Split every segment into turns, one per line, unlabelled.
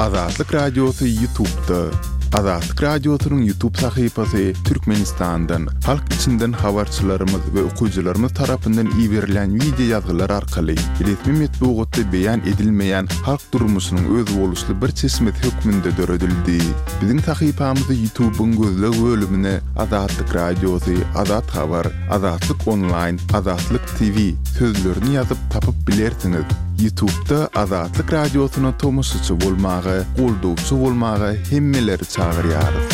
Azatlyk Radiosy Ýutubda. Azatlyk Radiosynyň Ýutub sahypasy Türkmenistandan, halk içinden habarçylarymyz we okyjylarymyz tarapyndan iberilýän wideo ýazgylar arkaly resmi metbugatda beýan edilmeýän halk durmuşynyň özboluşly bir çeşmesi hökmünde döredildi. Biziň sahypamyzy Ýutubyň gözleg bölümine Azatlyk Radiosy, Azat Habar, Azatlyk Onlaýn, Azatlyk TV sözlerini ýazyp tapyp bilersiňiz. Ýutubda Azatlyk Radiosyna tomaşaçy bolmaga, goldawçy bolmaga hemmeleri çagyrýarys.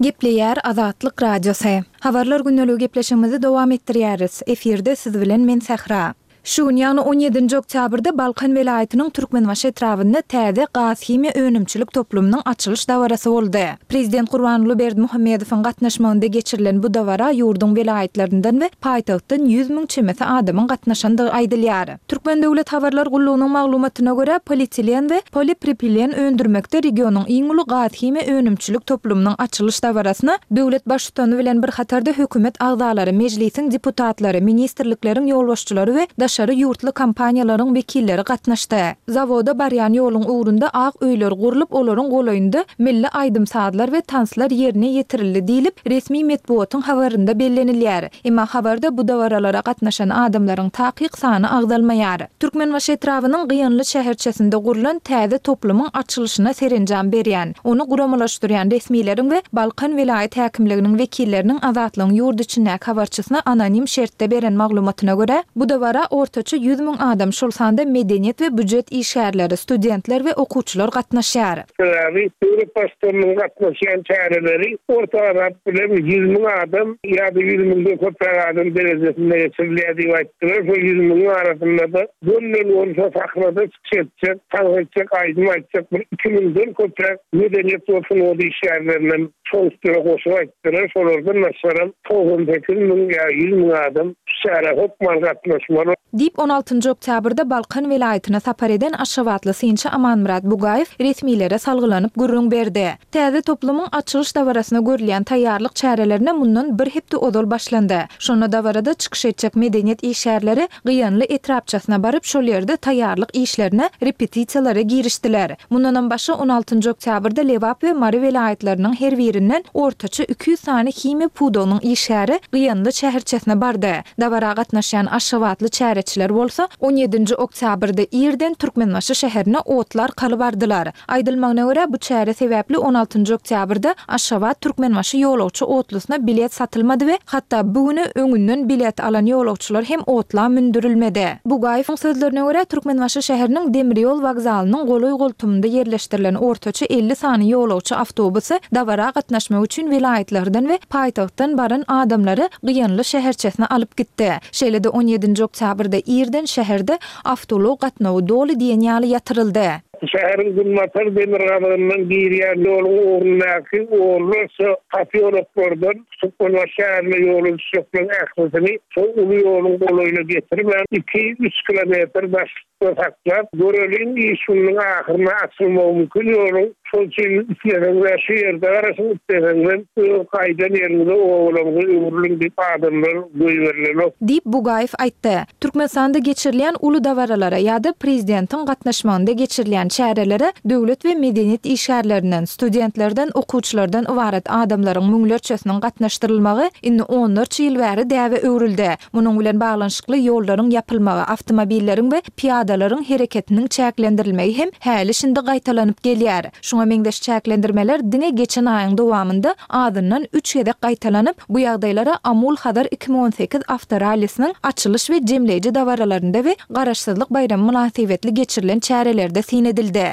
Gepleýär Azatlyk Radiosy. Habarlar gündeligi gepleşigimizi dowam etdirýäris. Efirde siz bilen men Sähra. Şu gün, ýagny on ýedinji oktýabrda Balkan welaýatynyň Türkmenbaşy etrabynda täze gaz-himiýa önümçilik toplumynyň açylyş dabarasy boldy. Prezident Gurbanguly Berdimuhamedowyň gatnaşmagynda geçirilen bu dabara ýurduň welaýatlaryndan we paýtagtdan 100 müň çemesi adamyň gatnaşandygy aýdylýar. Türkmen döwlet habarlar gullugynyň maglumatyna görä, polietilen we polipropilen öndürmekde regionyň iň uly gaz-himiýa önümçilik toplumynyň açylyş dabarasyna döwlet Baştutany bilen bir hatarda hökümet agzalary, Mejlisiň deputatlary, ministrlikleriň ýolbaşçylary we daşary ýurtly kompaniýalaryň wekilleri gatnaşdy. Zawoda barýan ýoluň ugrunda ak öýler gurlup, olaryň golaýynda milli aýdym-sazlar we tanslar ýerine ýetirildi diýlip, resmi metbugatyň habarynda bellenilýär. Emma habarda bu dabaralara gatnaşan adamlaryň takyk sany agzalmaýar. Türkmenbaşy etrabynyň Gyýanly şäherçesinde gurlan täze toplumyň açylyşyna serenjam berýän, ony guramalaşdyrýan resmileriň we Balkan welaýat häkimliginiň wekilleriniň Azatlygyň ýurt içindäki habarçysyna anonim şertde beren maglumatyna görä, bu dabara ortaça 100 müň adam, şol sanda medeniýet we býujet işgärleri, studentler we okuwçylar gatnaşýar.
Sebäbi döwlet Baştutanynyň gatnaşýan çäreleri orta hasap bilen 100 müň adam ýa-da 100 müňden köpräk adam derejesinde geçirilýär diýip aýtdylar. Şol 100 müňüň arasynda-da gönden-göni şo sahnada çykyş etjek, tans etjek, aýdym aýtjak bir iki müňden köpräk medeniýet we sungat işgärlerinem şoň üstüne goşup aýtdylar. Şolardan başgaram 98 müň ýa 100 müň adam şu çärä hökman gatnaşmaly.
Diýip, on altynjy oktýabrda Balkan welaýatyna sapar eden aşgabatly synçy Amanmyrat Bugaýew resmilere salgylanyp gürrüň berdi. Täze toplumyň açylyş dabarasyna görülýän taýýarlyk çärelerine mundan bir hepde ozal başlandy. Şonda dabarada çykyş etjek medeniýet işgärleri Gyýanly etrapçasyna baryp, şol ýerde taýýarlyk işlerine, repetisiýalara girişdiler. Mundanam başga on altynjy oktýabrda Lebap we Mary welaýatlarynyň her birinden ortaça 200 sany himiýa pudagynyň işgäri Gyýanly şäherçesine bardy. Dabara gatnaşýan aşgabatly çäreçiler bolsa, on ýedinji oktýabrda irden Türkmenbaşy şäherine otly arkaly bardylar. Aýdylmagyna görä, bu çäre sebäpli on altynjy oktýabrda Aşgabat-Türkmenbaşy ýolagçy otlusyna bilet satylmady we hatda bu güne öňünden bilet alan ýolagçylar hem otla mündürilmedi. Bugaýewiň sözlerine görä, Türkmenbaşy şäheriniň demir ýol wokzalynyň golaý-goltumynda ýerleşdirilen ortaça 50 sany ýolagçy awtobusy dabara gatnaşmak üçin welaýatlardan we paýtagtdan baran adamlary Gyýanly şäherçesine alyp gitdi. Şeýle-de on ýedinji oktýabrda irden şäherde awtoulag gatnawy doly diýen ýaly ýatyryldy.
Şäheriň günbatar-demirgazygyndan girýän ýoluň ugrundaky onlarça posýoloklardan Türkmenbaşy şäherine ýola düşjekleriň ählisini şol uly ýoluň golaýyna getirmän, iki-üç kilometr daşlykda saklap, göreliň, iş gününiň ahyryna açylmagy mümkin ýoluň. Şol üçin isleseňiz-ä şu ýerde garaşyň, isleseňizem öz gaýdan ýeriňize, obalaryňyza öwrüliň diýip adamlar goýberilenok.
Diýip, Bugaýew aýtdy. Türkmenistanda geçirilýän uly dabaralara ýa-da prezidentiň gatnaşmagynda geçirilýän çärelere döwlet we medeniýet işgärlerinden, studentlerden, okuwçylardan ybarat adamlaryň müňlerçesiniň gatnaşdyrylmagy indi onlarça ýyl bäri däbe öwrüldi. Munuň bilen baglanyşykly ýollaryň ýapylmagy, awtomobilleriň we pyýadalaryň hereketiniň çäklendirilmegi hem häli-şindi gaýtalanyp gelýär. Şuňa meňzeş çäklendirmeler diňe geçen aýyň dowamynda azyndan üç gezek gaýtalanyp, bu ýagdaýlara Amul-Hazar 2018 awtorallisiniň açylyş we jemleýji dabaralarynda we Garaşsyzlyk baýramy mynasybetli geçirilen çärelerde syn edildi.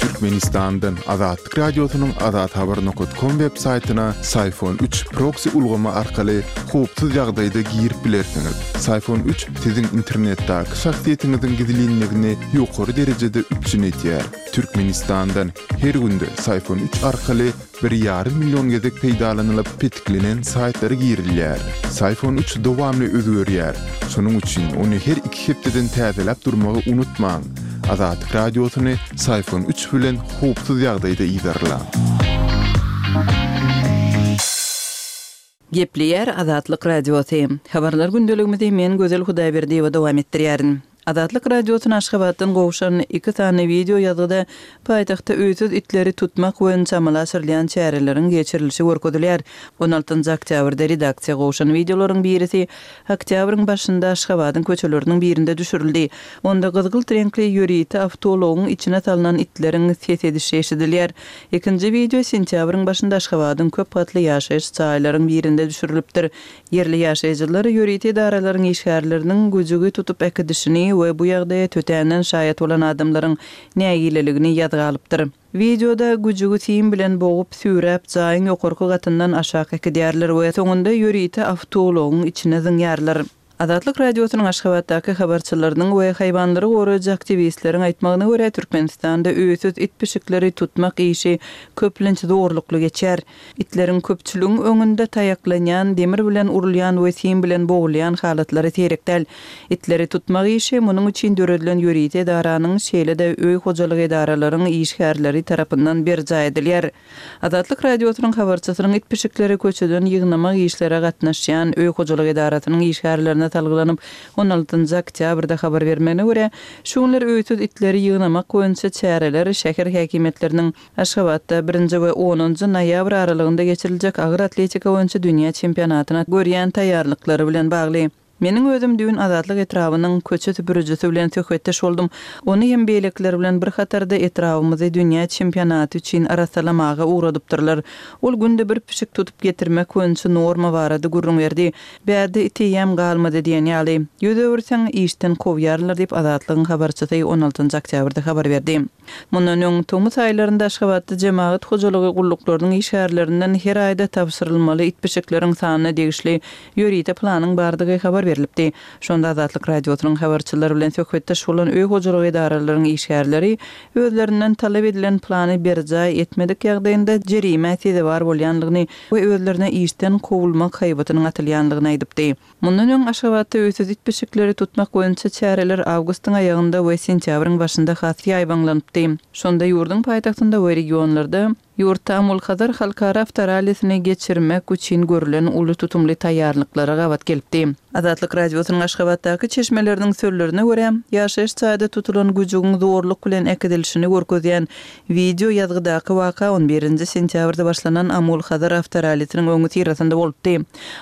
Türkmenistandan Azatlyk Radiosynyň azathabar nokat kom web saýtyna Syfon 3 proksi ulgamy arkaly howpsuz ýagdaýda girip bilersiňiz. Syfon 3 siziň internetdäki şahsyýetiňiziň gizlinligini ýokary derejede üpjün edýär. Türkmenistandan her günde Syfon 3 arkaly bir ýarym million gezek peýdalanylyp petiklenen saýtlara girilýär. Syfon 3 dowamly özgerýär. Şonuň üçin ony her iki hepdeden täzeläp durmagy unutmaň. Azatlyk Radiosyny Syfon 3 bilen howpsuz ýagdaýda yzarlaň.
Gepleýär Azatlyk Radiosy. Habarlar gündeligimizi men Gözel Hudaýberdiýewa dowam etdirýärin. Azatlyk Radiosyna Aşgabatdan gowşan iki sany wideo ýazgyda paýtagtda öýsüz itleri tutmak boýunça amala aşyrylýan çäreleriň geçirilişi görkezilýär. On altynjy oktýabrda redaksiýa gowşan wideolaryň birisi oktýabryň başynda Aşgabadyň köçeleriniň birinde düşürildi. Onda gyzgylt reňkli ýörite awtoulagyň içine salnan itleriň ses edişi eşidilýär. Ikinji wideo sentýabryň başynda Aşgabadyň köp gatly ýaşaýyş jaýlaryň birinde düşürilipdir. Ýerli ýaşaýjylar ýörite edaralaryň işgärleriniň güjügi tutup äkidişini we bu ýagdaýa tötänden şaýat bolan adamlaryň nägileligini ýazga alypdyr. Wideoda güjügi sim bilen bogup, süýräp, jaýyň ýokarky gatyndan aşak äkidýärler we soňunda ýörite awtoulagyň içine zyňýarlar. Azatlyk Radiosynyň Aşgabatdaky habarçylarynyň we haýwanlary goraýjy aktiwistleriň aýtmagyna görä, Türkmenistanda öýsüz it-pişikleri tutmak işi köplenç zorlukly geçýär. Itleriň köpçüligiň öňünde taýaklanýan, demir bilen urulýan we sim bilen bogulýan halatlary seýrek däl. Itleri tutmak işi munuň üçin döredilen ýörite edaranyň, şeýle-de öý hojalyk edaralaryň işgärleri tarapyndan berjaý edilýär. Azatlyk Radiosynyň habarçysynyň it-pişikleri köçeden ýygnamak işlere gatnaşýan öý hojalyk edarasynyň işgärlerine salgylanyp, on altynjy oktýabrda habar bermegine görä, şu günler öýsüz itleri ýygnamak boýunça çäreler şäher häkimiýetleriniň Aşgabatda birinji we onunjy noýabr aralygynda geçiriljek agyr atletika boýunça dünýä çempionatyna görýän taýýarlyklary bilen bagly. Meniň özüm düýn Azatlyk etrabynyň köçe süpürijisi bilen söhbetdeş boldum. Ony hem beýlekiler bilen bir hatarda etrabymyzy dünýä çempionaty üçin arassalamaga ugradypdyrlar. Ol günde bir pişik tutup getirmek boýunça norma barada gürrüň berdi. Bärde it eýýäm galmady diýen ýaly. Ýüz öwürseň, işden kowýarlar diýip, Azatlygyň habarçysy on altynjy oktýabrda habar berdi. Mundan öň, tomus aýlarynda Aşgabatda jemagat hojalygy gulluklarynyň işgärlerinden her aýda tabşyrylmaly it-pişikleriň sanyna degişli ýörite planyň bardygy habar berlipdi. Şonda Azatlyk Radiosynyň habarçylary bilen söhbetdeş bolan öý hojalygy edaralaryň işgärleri özlerinden talap edilen plany berjaý etmedik ýagdaýynda jerimä sezewar bolýandygyny we özlerine işden kowulmak haýbatynyň atylýandygyny aýdypdy. Mundan öň Aşgabatda öýsüz it-pişikleri tutmak boýunça çäreler awgustyň aýagynda we sentýabryň başynda has ýaýbaňlanypdy. Şonda ýurduň paýtagtynda we regionlarda ýurtda Amul-Hazar halkara awtorallisini geçirmek üçin görlen uly tutumly taýýarlyklara gabat gelipdi. Azatlyk Radiosynyň Aşgabatdaky çeşmeleriniň sözlerine görä, ýaşaýyş jaýda tutulan güjügiň zorluk bilen äkidilişini görkezýän Wideo ýazgydaky waka on birinji sentýabrda başlanan Amul-Hazar awtorallisiniň öňüsyrasynda bolupdy.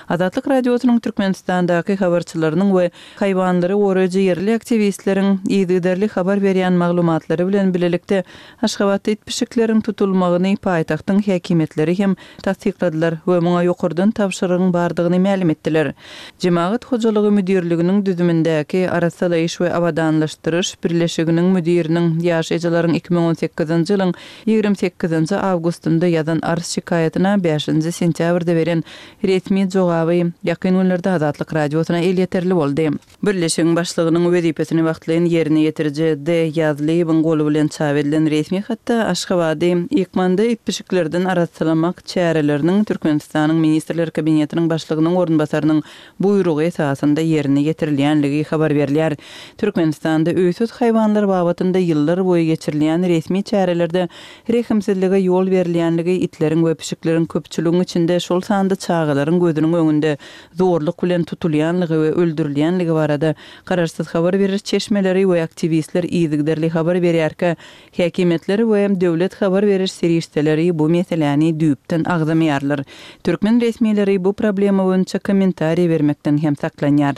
Azatlyk Radiosynyň Türkmenistandaky habarçylarynyň we haýwanlary goraýjy ýerli aktiwistleriň yzygiderli habar berýän maglumatlary bilen bilelikde Aşgabatda it-pişikleriň tutulmagyny paýtagtyň häkimiýetleri hem tassykladylar we muňa ýokardan tabşyrygyň bardygyny mälim etdiler. Jemagat hojalygy müdirliginiň düzümindäki Arassalaýyş we abadanlaşdyryş birleşiginiň müdiriniň ýaşaýjylaryň 2018-nji ýylyň 28-nji awgustynda ýazan arz-şikaýatyna bäşinji sentýabrda beren resmi jogaby ýakyn günlerde Azatlyk Radiosyna elýeterli boldy. Birleşigiň başlygynyň wezipesini wagtlaýyn ýerine ýetiriji D. Ýazlyýewiň goly bilen çap edilen resmi hatda Aşgabady ykmanda it-pişiklerden arassalamak çäreleriniň Türkmenistanyň Ministrler Kabinetiniň Başlygynyň orunbasarynyň buýrugy esasynda ýerine ýetirilýänligi habar berilýär. Türkmenistanda öýsüz haýwanlar babatynda ýyllar boýy geçirilýän resmi çärelerde rehimsizlige ýol berilýänligi itleriň we pişikleriň köpçüligiň içinde, şol sanda çagalaryň gözüniň öňünde zorluk bilen tutulýanlygy we öldürilýänligi barada garaşsyz habar beriş çeşmeleri we aktiwistler yzygiderli habar berýärkä, häkimiýetler we döwlet habar beriş serişdeleri bu meseläni düýpden agzamaýarlar. Türkmen resmileri bu problema boýunça kommentariý bermekden hem saklanýar.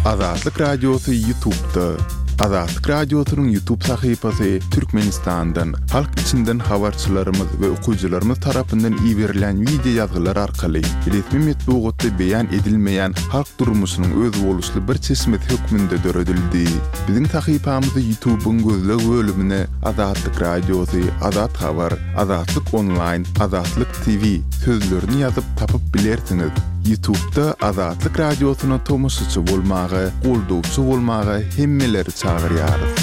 Azatlyk Radiosy Ýutubda. Azatlyk Radiosynyň Ýutub sahypasy Türkmenistandan, halk içinden habarçylarymyz we okyjylarymyz tarapyndan iberilen wideo ýazgylar arkaly resmi metbugatda beýan edilmeýän halk durmuşynyň özboluşly bir çeşmesi hökmünde döredildi. Biziň sahypamyzy Ýutubyň gözleg bölümine Azatlyk Radiosy, Azat Habar, Azatlyk Onlaýn, Azatlyk TV sözlerini ýazyp tapyp bilersiňiz. Ýutubda Azatlyk Radiosyna tomaşaçy bolmaga, goldawçy bolmaga hemmeleri çagyrýarys.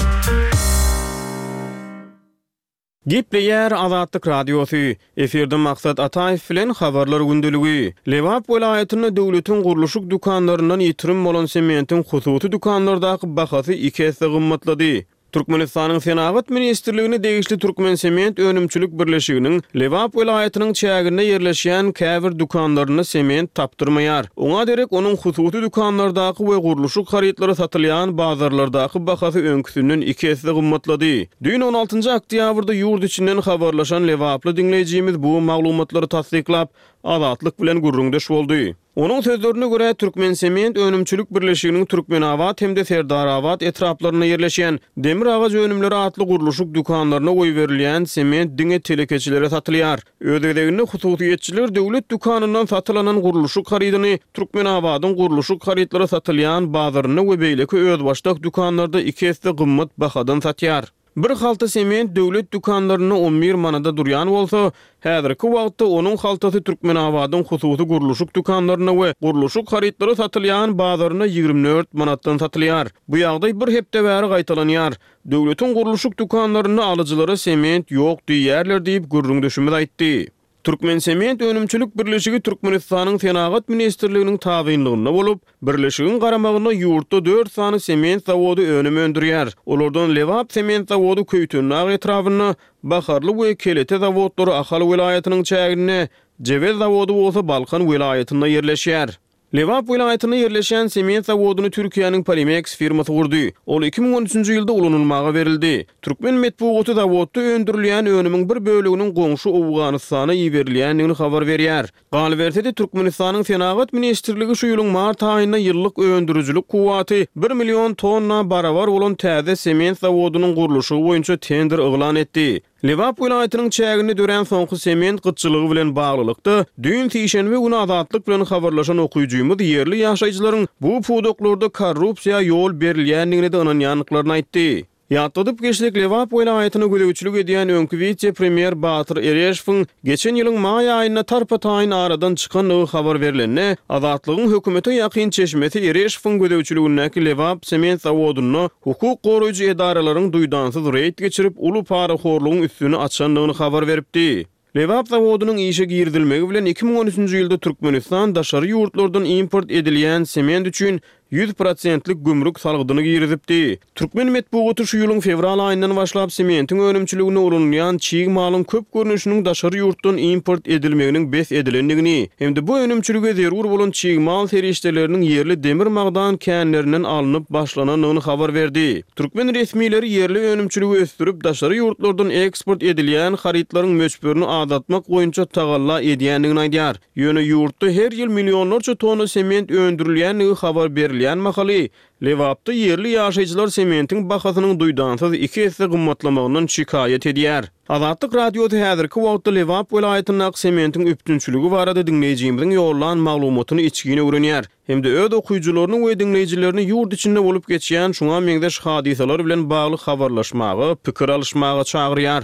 Gepleýär Azatlyk Radiosy. Efirde Maksat Ataýew bilen Habarlar gündeligi. Lebap welaýatynda döwletiň gurluşyk dükanlaryndan ýitirim bolan sementiň hususy dükanlardaky bahasy iki esse gymmatlady. Türkmenistanyň Senagat ministrligine degişli Türkmensement önümçilik birleşiginiň Lebap welaýatynyň çäginde ýerleşýän käbir dükanlarynda sement tapdyrmaýar. Oňa derek onuň hususy dükanlardaky we gurluşyk harytlary satylýan bazarlardaky bahasy öňküsinden iki esse gymmatlady. Düýn on altynjy oktýabrda ýurt içinden habarlaşan lebaply diňleýjimiz bu maglumatlary tassyklap, Azatlyk bilen gürrüňdeş boldy. Onuň sözlerine görä, Türkmensement önümçilik birleşiginiň Türkmenabat hem-de Serdarabat etraplarynda ýerleşýän Demir agaç önümleri atly gurluşyk dükanlaryna goýberilýän sement diňe telekeçilere satylýar. Öz gezeginde hususyýetçiler döwlet dükanyndan satyn alan gurluşyk harydyny Türkmenabadyň gurluşyk harytlary satylýan bazarynda we beýleki özbaşdak dükanlarda iki esse gymmat bahadan satýar. Bir halta sement döwlet dükanlarynda on bir manada durýan bolsa, häzirki wagtda onuň haltasy Türkmenabadyň hususy gurluşyk dükanlarynda we gurluşyk harytlary satylýan bazarynda 24 manatdan satylýar. Bu ýagdaý bir hepde bäri gaýtalanýar. Döwletiň gurluşyk dükanlarynda alyjylara sement ýok diýýärler diýip, gürrüňdeşimiz aýtdy. Türkmensement önümçilik birleşigi Türkmenistanyň Senagat ministrliginiň tabynlygynda bolup, birleşigiň garamagynda ýurtda dört sany sement zawody önüm öndürýär. Olardan Lebap sement zawody Köýtendag etrabynda, Baharly we Kelete zawodlary Ahal welaýatynyň çäginde, Jebel zawody bolsa Balkan welaýatynda ýerleşýär. Lebap welaýatynda ýerleşýän sement zawodyny Türkiýäniň Polimeks firmasy gurdy. Ol 2013-nji ýylda ulanylmaga berildi. Türkmen metbugaty zawodda öndürilýän önümiň bir böleginiň goňşy Owganystana iberilýändigini habar berýär. Galyberse-de, Türkmenistanyň Senagat ministrligi şu ýylyň mart aýynda ýyllyk öndürijilik kuwwaty bir million tonna barabar bolan täze sement zawodynyň gurluşygy boýunça tender yglan etdi. Lebap welaýatynyň çäginde dörän soňky sement gytçylygy bilen baglylykda, düýn sişenbe güni Azatlyk bilen habarlaşan okyjymyz ýerli ýaşaýjylaryň bu pudaklarda korrupsiýa ýol berilýändigine-de ynanýandyklaryny aýtdy. Ýatladyp geçsek, Lebap welaýatyna gözegçilik edýän öňki wise-premýer Batyr Ereşowyň geçen ýylyň maý aýynda tarpa-taýyn aradan çykandygy habar berlende, Azatlygyň hökümete ýakyn çeşmesi Ereşowyň gözegçiligindäki Lebap sement zawodynda Hukuk goraýjy edaralaryň duýdansyz reýd geçirip, uly parahorlugyň üstüni açandygyny habar beripdi. Lebap zawodynyň işe girizilmegi bilen 2013-nji ýylda Türkmenistan daşary ýurtlardan import edilýän sement üçin 100 prosentlik gümrük salgydyny girizipdi. Türkmen metbugaty şu ýylyň fewral aýyndan başlap sementiň önümçiliginde ulanylýan çig malyň köp görnüşiniň daşary ýurtdan import edilmeginiň bes edilendigini hem-de bu önümçilige zerur bolan çig mal serişdeleriniň ýerli demir magdan känlerinden alnyp başlanandygyny habar berdi. Türkmen resmileri ýerli önümçiligi ösdürip, daşary ýurtlardan eksport edilýän harytlaryň möçberini azaltmak boýunça tagalla edýändigini aýdýar. Ýöne ýurtda her ýyl millionlarça tonna sement öndürilýändigi habar berilýän mahaly, Lebapda ýerli ýaşaýjylar sementiň bahasynyň duýdansyz iki esse gymmatlamagyndan şikaýat edýär. Azatlyk Radiosy häzirki wagtda Lebap welaýatyndaky sementiň üpjünçiligi barada diňleýjimiziň ýollan maglumatyny içgin öwrenýär hem-de öz okyjylaryny we diňleýjilerini ýurt içinde bolup geçýän şuňa meňzeş hadysalar bilen bagly habarlaşmaga, pikir alyşmaga çagyrýar.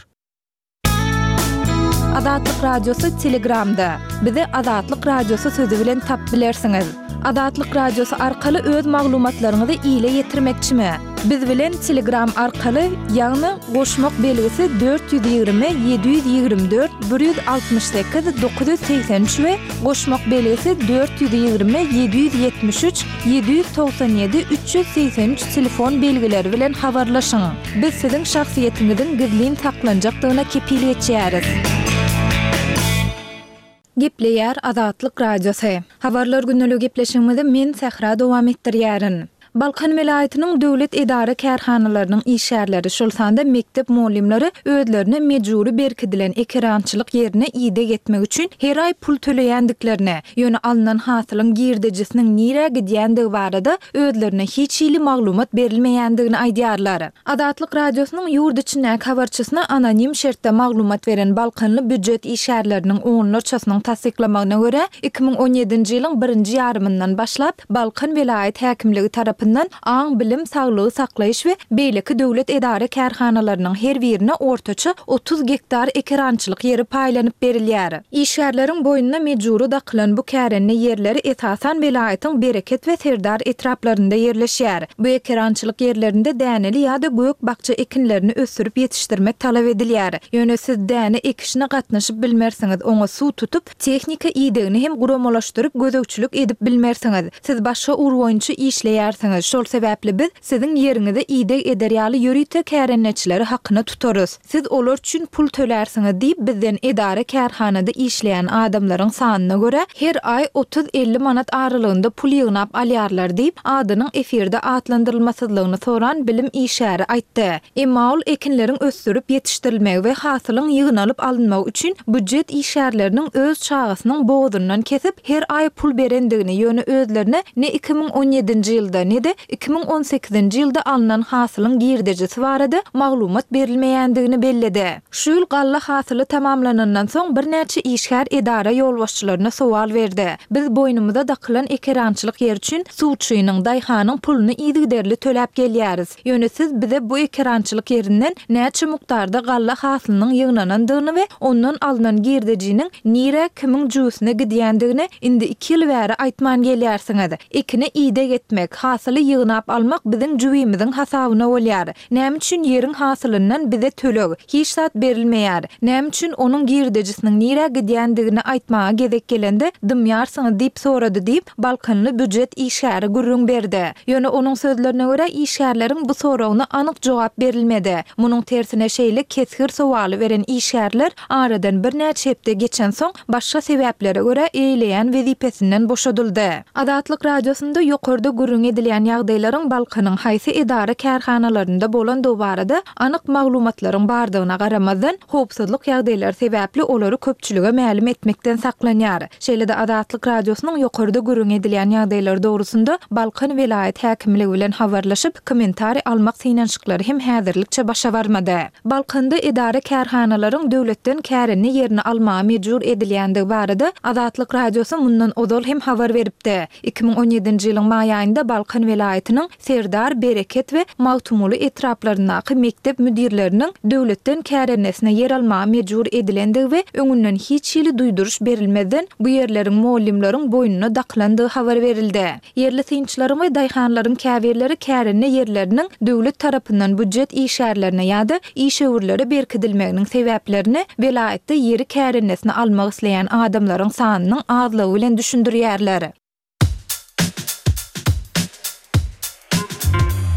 Azatlyk Radiosy Telegramda. Bizi Azatlyk Radiosy sözi bilen tapyp bilersiňiz. Azatlyk Radiosy arkaly öz maglumatlaryňyzy ile ýetirmekçimi? Biz bilen Telegram arkaly, ýagny goşmak belgisi 420 724 168 983 we goşmak belgisi 420 773 797 383 telefon belgileri bilen habarlaşyň. Biz siziň şahsyýetiňiziň gizlin saklanjakdygyna kepil geçýäris. Gepleýär Azatlyk Radiosy. Habarlar gündeligi gepleşigimizi men Sähra dowam etdirýärin. Balkan welaýatynyň döwlet edara-kärhanalarynyň işgärleri, şol sanda mekdep mugallymlary özlerine mejbury berkidilen ekerançylyk ýerine ideg etmek üçin her aý pul töleýändiklerini, ýöne alnan hasylyň girdejisiniň nirä gidýändigi barada özlerine hiç hili maglumat berilmeýändigini aýdýarlar. Azatlyk Radiosynyň ýurt içindäki habarçysyna anonim şertde maglumat beren balkanly býujet işgärleriniň onlarçasynyň tassyklamagyna görä, 2017-nji ýylyň birinji ýarymyndan başlap, Balkan welaýat häkimligi tarapyndan aň-bilim, saglygy saklaýyş we beýleki döwlet edara-kärhanalarynyň her birine ortaça 30 gektar ekerançylyk ýeri paýlanyp berilýär. Işgärleriň boýnuna mejbury dakylan bu kärende ýerleri esasan welaýatyň Bereket we Serdar etraplarynda ýerleşýär. Bu ekerançylyk ýerlerinde däneli ýa-da gök-bakja ekinlerini ösdürip ýetişdirmek talap edilýär. Ýöne siz däne ekişine gatnaşyp bilmersiňiz, oňa suw tutup, tehnika idegini hem guramalaşdyryp gözegçilik edip bilmersiňiz. Siz başga ugur boýunça işleýärsiňiz. etýärsiňiz, şol sebäpli biz siziň ýeriňize ideg eder ýaly ýörite kärendeçileri hakyna tutarys. Siz olar üçin pul tölärsiňiz diýip, bizden edara-kärhanada işleýän adamlaryň sanyna görä, her aý otuz-elli manat aralygynda pul ýygnap alýarlar diýip, adynyň efirde atlandyrylmasyzlygyny soran bilim işgäri aýtdy. Emma ol ekinleriň ösdürip ýetişdirilmegi we hasylyň ýygnalyp alynmagy üçin býujet işgärleriniň öz çagasynyň bogazyndan kesip, her aý pul berendigini, ýöne özlerine ne 2017-nji ýylda, ne-de 2018-nji ýylda alnan hasylyň girdejisi barada maglumat berilmeýändigini belledi. Şu ýyl galla hasyly tamamlanandan soň birnäçe işgär edara ýolbaşçylaryna sowal berdi. Biz boýnumyza dakylan ekerançylyk ýeri üçin suwçynyň, daýhanyň puluny yzygiderli töläp gelýäris. Ýöne siz bize bu ekerançylyk ýerinden näçe mukdarda galla hasylynyň ýygnanandygyny we ondan alnan girdejiniň nirä, kimiň jübüsine gidýändigini indi iki ýyl bäri aýtman gelýärsiňiz. Ekine ideg etmek, hasyly ýygnap almak biziň jübimiziň hasabyna bolýar. Näme üçin ýeriň hasylyndan bize töleg, hiç zat berilmeýär? Näme üçin onuň girdejisiniň nirä gidýändigini aýtmaga gezek gelende dymýarsyňyz diýip sorady diýip, balkanly býujet işgäri gürrüň berdi. Ýöne onuň sözlerine görä, işgärleriň bu soragyna anyk jogap berilmedi. Munuň tersine şeýle kesgir sowaly beren işgärler aradan birnäçe hepde geçensoň, başga sebäplere görä eýeleýän wezipesinden boşadyldy. Azatlyk Radiosynda ýokarda gürrüňi edilýän ýagdaýlaryň Balkanyň haýsy edara-kärhanalarynda bolandygy barada anyk maglumatlaryň bardygyna garamazdan, howpsuzlyk ýagdaýlary sebäpli olary köpçülige mälim etmekden saklanýar. Şeýle-de Azatlyk Radiosynyň ýokarda gürrüňi edilýän ýagdaýlar dogrusynda Balkan welaýat häkimligi bilen habarlaşyp, kommentariý almak synanyşyklary hem häzirlikçe başa barmady. Balkanda edara-kärhanalaryň döwletden kärende ýerini almaga mejbur edilýändigi barada Azatlyk Radiosy mundan ozal hem habar beripdi. 2017-nji ýylyň maý aýynda Balkan welaýatynyň Serdar, Bereket we Magtymguly etraplaryndaky mekdep müdirleriniň döwletden kärendesine ýer almaga mejbur edilendigi we öňünden hiç hili duýduryş berilmezden bu ýerleriň mugallymlaryň boýnuna dakylandygy habar berildi. Ýerli synçylaryň we daýhanlaryň käbirleri kärende ýerleriniň döwlet tarapyndan býujet işgärlerine ýa-da işewürlere berkidilmeginiň sebäplerini welaýatda ýeri kärendesine almak isleýän adamlaryň sanynyň azlygy bilen düşündirýärler.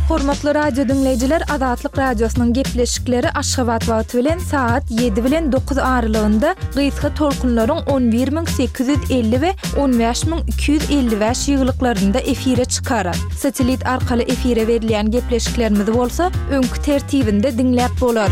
Hormatly radio diňleýjiler, Azatlyk Radiosynyň gepleşikleri Aşgabat wagty bilen sagat 7 bilen 9 aralygynda gysga tolkunlaryň 11850 we 15255 ýygylyklarynda efire çykar. Satellit arkaly efire berilýän gepleşiklerimizi bolsa öňki tertibinde diňläp bolar.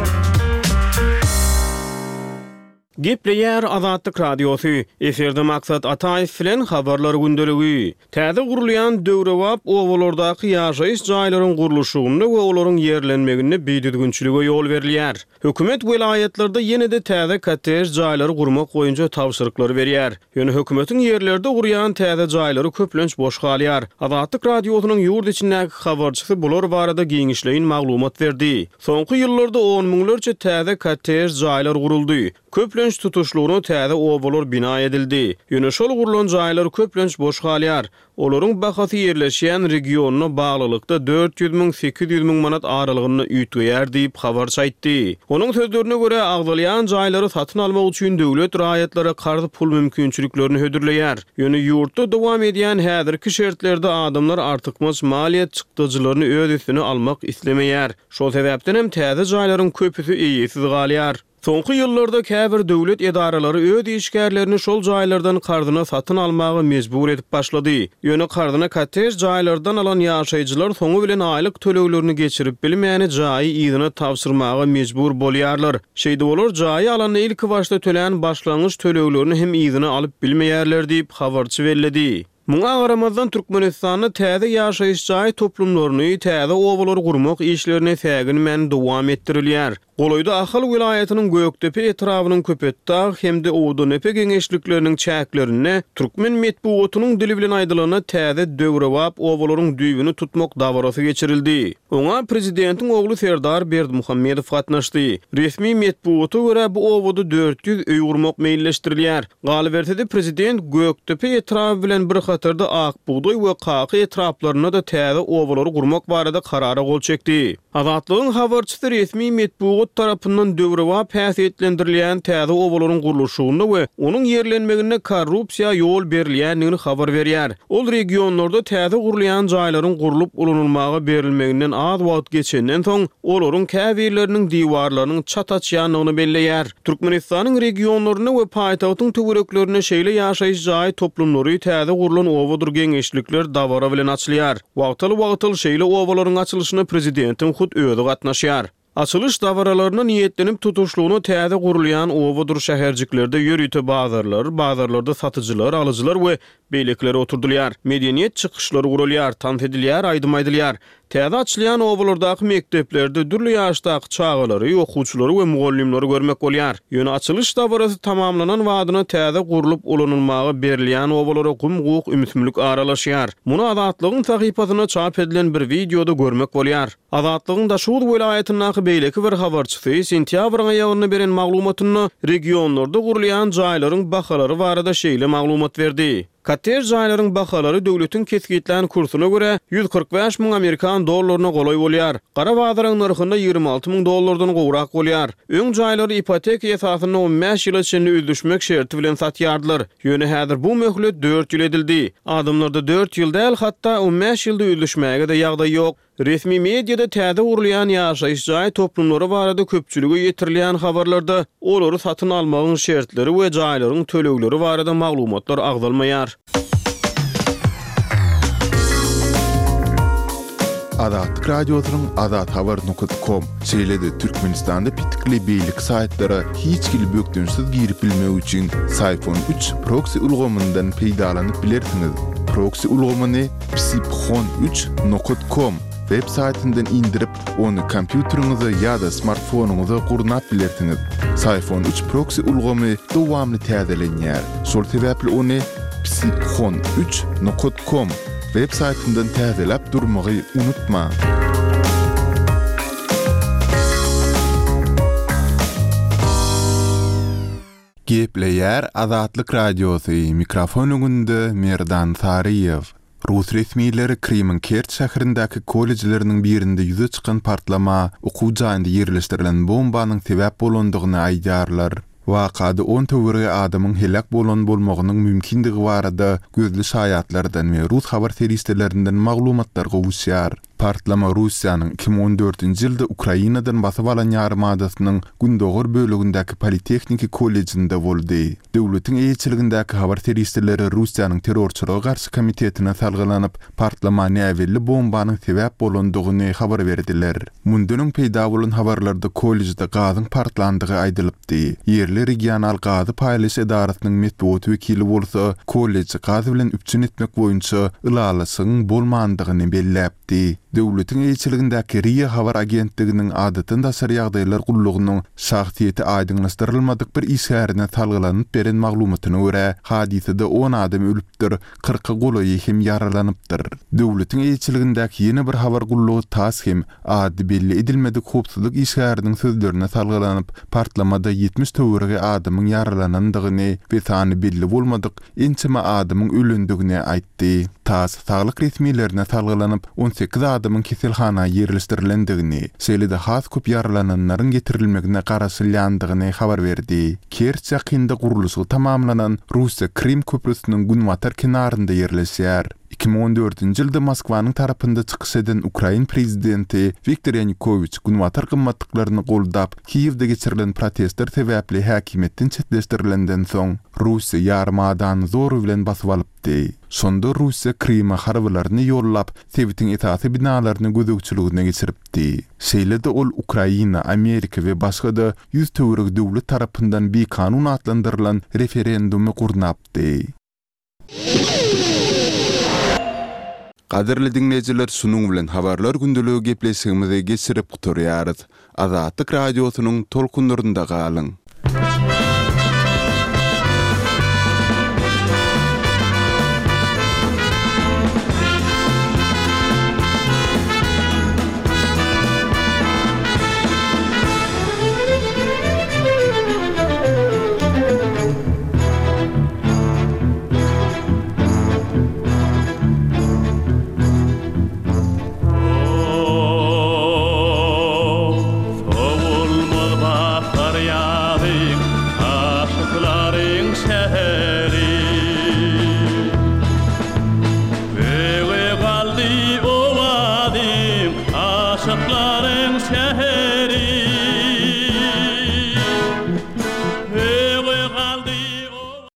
Gepleýär Azatlyk Radiosy, Efirde Maksat Ataýew bilen Habarlar gündeligi. Täze gurulýan döwrebap obalardaky ýaşaýyş jaýlaryň gurluşygynda we olaryň ýerlenmeginde bidüzgünçilige ýol berilýär. Hökümet welaýatlarda ýene-de täze kottej jaýlary gurmak boýunça tabşyryklary berýär. Ýöne hökümetiň ýerlerde gurýan täze jaýlary köplenç boş galýar. Azatlyk Radiosynyň ýurt içindäki habarçysy bular barada giňişleýin maglumat berdi. Soňky ýyllarda on müňlerçe täze kottej jaýlar guruldy. Köplenç tutuşlygyna täze obalar bina edildi. Ýöne şol gurlan jaýlar köplenç boş galýar. Olaryň bahasy ýerleşýän regionyna baglylykda 400 müň, 800 müň manat aralygynda üýtgeýär diýip, habarçy aýtdy. Onuň sözlerine görä, agzalýan jaýlary satyn almak üçin döwlet raýatlara karz pul mümkinçiliklerini hödürleýär. Ýöne ýurtda dowam edýän häzirki şertlerde adamlar artykmaç maliýe çykdajylaryny öz üstüne almak islemeýär. Şol sebäpden hem täze jaýlaryň köpüsi eýesiz galýar. Soňky ýyllarda käbir döwlet edaralary öz işgärlerini şol jaýlardan karzyna satyn almaga mejbur edip başlady. Ýöne karzyna kottej jaýlardan alan ýaşaýjylar soňy bilen aýlyk töleglerini geçirip bilmäni jaýy yzyna tabşyrmaga mejbur bolýarlar. Şeýdip olar jaýy alanda ilkibaşda tölän başlangyç töleglerini hem yzyna alyp bilmeýärler diýip, habarçy belledi. Muňa garamazdan, Türkmenistanda täze ýaşaýyş jaý toplumlaryny, täze obalary gurmak işlerine säginmän dowam etdirilýär. Golaýda Ahal welaýatynyň Gökdepe etrabynyň Köpetdag hem-de Owadandepe geňeşlikleriniň çäklerinde türkmen metbugatynyň dili bilen aýdylanda täze döwrebap obalaryň düýbüni tutmak dabarasy geçirildi. Oňa prezidentiň ogly Serdar Berdimuhamedow gatnaşdy. Resmi metbugata görä, bu obada 400 öý gurmak meýilleşdirilýär. Galyberse-de, prezident Gökdepe etraby bilen bir hatarda Ak bugdaý we Kaka etraplarynda-da täze obalary gurmak barada karara gol çekdi. Azatlygyň habarçysy resmi metbugat. zawod tarapyndan döwrebap häsiýetlendirilýän täze obalaryň gurluşygynda we onuň ýerlenmeginde korrupsiýa ýol berilýändigini habar berýär. Ol regionlarda täze gurulýan jaýlaryň gurlup ulanylmaga berilmeginden az wagt geçenden soň, olaryň käbirleriniň diwarlarynyň çat açýandygyny belleýär. Türkmenistanyň regionlarynda we paýtagtyň töwereklerinde şeýle ýaşaýyş jaý toplumlary täze gurlan obadyr geňeşlikler dabara bilen açylýar. Wagtal-wagtal şeýle obalaryň açylyşyna prezidentiň hut özi gatnaşýar. Açylyş dabaralaryna niýetlenip tutuşlygyna täze gurulýan obadyr şäherjiklerde ýörite bazarlar, bazarlarda satyjylar, alyjylar we beýlekiler oturdylýar. Medeniýet çykyşlary guralýar, tans edilýär, aýdym aýdylýar. Täze açylýan obalardaky mekdeplerde dürli ýaşdaky çagalary, okuwçylary we mugallymlary görmek bolýar. Ýöne açylyş dabarasy tamamlanan badyna täze gurlup ulanylmaga berilýän obalara gum-guk ümsümlik aralaşýar. Muny Azatlygyň sahypasynda çap edilen bir wideoda görmek bolýar. Azatlygyň Daşoguz welaýatyndaky beýleki bir habarçysy sentýabryň aýagynda beren maglumatynda regionlarda gurulýan jaýlaryň bahalary barada şeýle maglumat berdi. Kottej jaýlaryň bahalary döwletiň kesgitlän kursuna görä, 145 müň amerikan dollaryna golaý bolýar. Gara bazaryň nyrhynda 26 müň dollardan gowrak bolýar. Öň jaýlary ipoteka esasynda on bäş ýyla çenli üzlüşmek şerti bilen satýardylar. Ýöne häzir bu möhlet dört ýyl edildi. Adamlarda dört ýyl däl, hatda on bäş ýylda üzlüşmäge-de ýagdaý ýok. Resmi mediada täze gurulýan ýaşaýyş jaý toplumlary barada köpçülige ýetirilýän habarlarda olary satyn almagyň şertleri we jaýlaryň tölegleri barada maglumatlar agzalmaýar.
Azatlyk Radiosynyň azathabar nokat kom, şeýle-de Türkmenistanda petikli beýleki saýtlara hiç hili bökdençsiz girip bilmek üçin Syfon üç proksi ulgamyndan peýdalanyp bilersiňiz. Proksi ulgamyny Psiphon üç nokat kom web saýtyndan indirip, ony kompýuteriňize ýa-da smartfonyňyza gurnap bilersiňiz. Syphon üç proksi ulgamy dowamly täzelenýär. Şol sebäpli ony Psiphon üç nokat kom web saýtyndan täzeläp durmagy unutmaň. Gepleýär Azatlyk Radiosy, mikrofon öňünde Merdan Saryýew. Rus resmileri Krymyň Kerç şäherindäki kollejleriniň birinde ýüze çykan partlama okuw jaýynda ýerleşdirilen bombanyň sebäp bolandygyny aýdýarlar. Wakada on töweregi adamyň heläk bolan bolmagynyň mümkindigi barada gözli şaýatlardan we rus habar serişdelerinden maglumatlar gowuşýar. Partlama Russiýanyň 2014-nji ýylda Ukrainadan basyp alan ýarymadasynyň gündogar bölegindäki Politehniki kollejinde boldy. Döwletiň eýeçiligindäki habar serişdeleri Russiýanyň Terrorçylyga garşy komitetine salgylanyp, partlama näbelli bombanyň sebäp bolandygyny habar berdiler. Mundan öň peýda bolan habarlarda kollejde gazyň partlandygy aýdylypdy. Ýerli regional gazy paýlaýyş edarasynyň metbugat wekili bolsa kolleji gaz bilen üpjün etmek boýunça ylalaşygyň bolmandygyny belläpdi. Döwletiň eýeçiligindäki RIA habar agentliginiň Adatdan daşary ýagdaýlar gullugynyň şahsyýeti aýdyňlaşdyrylmadyk bir işgärine salgylanyp beren maglumatyna görä, hadysada on adam ölüpdir, kyrka golaýy hem ýaralanypdyr. Döwletiň eýeçiligindäki ýene bir habar gullugy tass hem ady belli edilmedik howpsuzlyk işgäriniň sözlerine salgylanyp, partlamada 70 töweregi adamyň ýaralanandygyny we sany belli bolmadyk ençeme adamyň ölendigini aýtdy. Tass saglyk resmilerine salgylanyp, 18 adamyň keselhana ýerleşdirilendigini, şeýle-de has köp ýaralananlaryň getirilmegine garaşylýandygyny habar berdi. Kerç ýakynda gurluşygy tamamlanan Russiýa-Krym köprüsiniň günbatar kenarynda ýerleşýär. 2014-nji ýylda Moskwanyň tarapynda çykyş eden ukrain prezidenti Wiktor Ýanukowiç günbatar gymmatlyklaryny goldap, Kiýewde geçirilen protestler sebäpli häkimiýetden çetleşdirilenden soň, Russiýa ýarymadany zor bilen basyp alypdy. Şonda Russiýa Kryma harbylaryny ýollap, sebitiň esasy binalaryny gözegçiligine geçiripdi. Şeýle-de ol Ukraina, Amerika we başga-da 100 töweregi döwlet tarapyndan bikanun atlandyrylan referendumy gurnapdy. Gadyrly diňleýjiler şunuň bilen Habarlar gündeligi gepleşigimizi geçirip gutarýarys. Azatlyk Radiosynyň tolkunlarynda galyň!